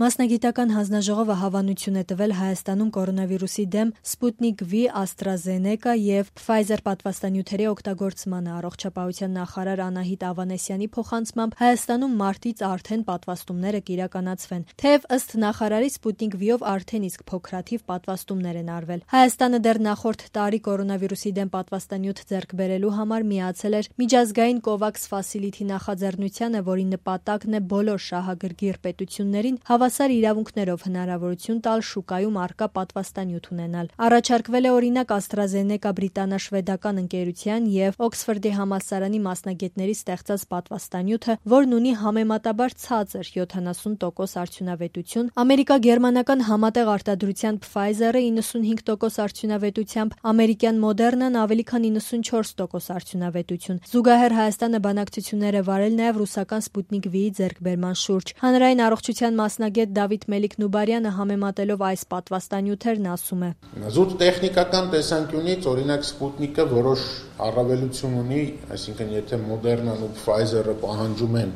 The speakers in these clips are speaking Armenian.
Մասնագիտական հանձնաժողովը հավանություն է տվել Հայաստանում կորոնավիրուսի դեմ Sputnik V, AstraZeneca և Pfizer պատվաստանյութերի օգտագործմանը։ Առողջապահության նախարար Անահիտ Ավանեսյանի փոխանցմամբ Հայաստանում մարտից արդեն պատվաստումները կիրականացվեն, թեև ըստ նախարարի Sputnik V-ով արդեն իսկ փոքրաթիվ պատվաստումներ են արվել։ Հայաստանը դեռ նախորդ տարի կորոնավիրուսի դեմ պատվաստանյութ ձեռք բերելու համար միացել էր միջազգային COVAX Facility նախաձեռնությանը, որի նպատակն է բոլոր շահագրգիռ պետություններին հավասար իրավունքներով հնարավորություն տալ շուկայում առկա պատվաստանյութ ունենալ։ Առաջարկվել է օրինակ AstraZeneca բրիտանա-շվեդական ընկերության և Օքսֆորդի համալսարանի մասնագետների ստեղծած պատվաստանյութը, որն ունի համեմատաբար ցածր 70% արդյունավետություն, ամերիկա-գերմանական համատեղ արտադրության Pfizer-ը 95% արդյունավետությամբ, ամերիկյան Moderna-ն ավելի քան 94% արդյունավետություն։ Զուգահեռ Հայաստանը բանակցություններ է վարել նաև ռուսական Sputnik V-ի ձեռքբերման շուրջ։ Հանրային առողջության մասնագետ Դավիթ Մելիք-Նուբարյանը համեմատելով այս պատվաստանյութերն ասում է. Զուտ տեխնիկական տեսանկյունից օրինակ Sputnik-ը որոշ առավելություն ունի, այսինքն եթե Moderna-ն ու Pfizer-ը պահանջում են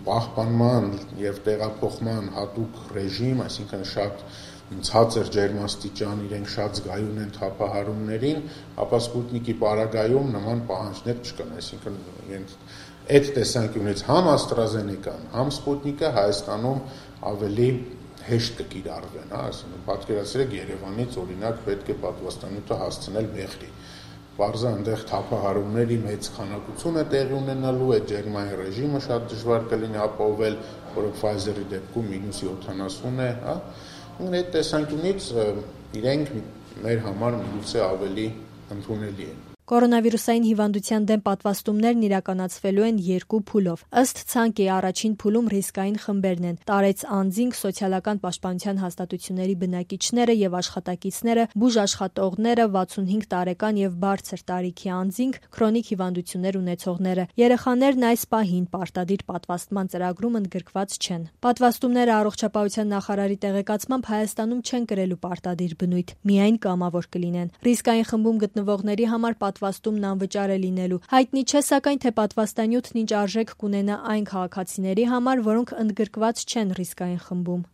պահպանման եւ տեղափոխման հատուկ ռեժիմ, այսինքն շատ ցածր ջերմաստիճան, իրենք շատ զգայուն են թափահարումներին, ապա Sputnik-ի պարագայում նման պահանջներ չկան, այսինքն այդ տեսանկյունից համ AstraZeneca-ն, համ Sputnik-ը Հայաստանում ավելի հեշտ կկիրառվեն, այսինքն պատկերացրեք Երևանից օրինակ պետք է պատվաստանյութը հասցնել Մեղրի։ Պարզը այնտեղ թափահարումների մեծ քանակություն է տեղի ունենալու, այդ ջերմային ռեժիմը շատ դժվար կլինի ապահովել, որը Pfizer-ի դեպքում -70 է, այդ տեսանկյունից իրենք մեր համար միգուցե ավելի ընդունելի են։ Կորոնավիրուսային հիվանդության դեմ պատվաստումներն իրականացվելու են երկու փուլով։ Ըստ ցանկի առաջին փուլում ռիսկային խմբերն են՝ տարեց անձինք, սոցիալական պաշտպանության հաստատությունների բնակիչները եւ աշխատակիցները, բուժաշխատողները, 65 տարեկան եւ բարձր տարիքի անձինք, քրոնիկ հիվանդություններ ունեցողները։ Երեխաներն այս պահին պարտադիր պատվաստման ծրագրում ընդգրկված չեն։ Պատվաստումները առողջապահության նախարարի տեղեկացմամբ Հայաստանում չեն կրելու պարտադիր բնույթ, միայն կամավոր կլինեն։ Ռիսկային խմբում գտնվողների համար պատվաստումն անվճար է լինելու։ Հայտնի չէ սակայն, թե պատվաստանյութն ինչ արժեք կունենա այն քաղաքացիների համար, որոնք ընդգրկված չեն ռիսկային խմբում։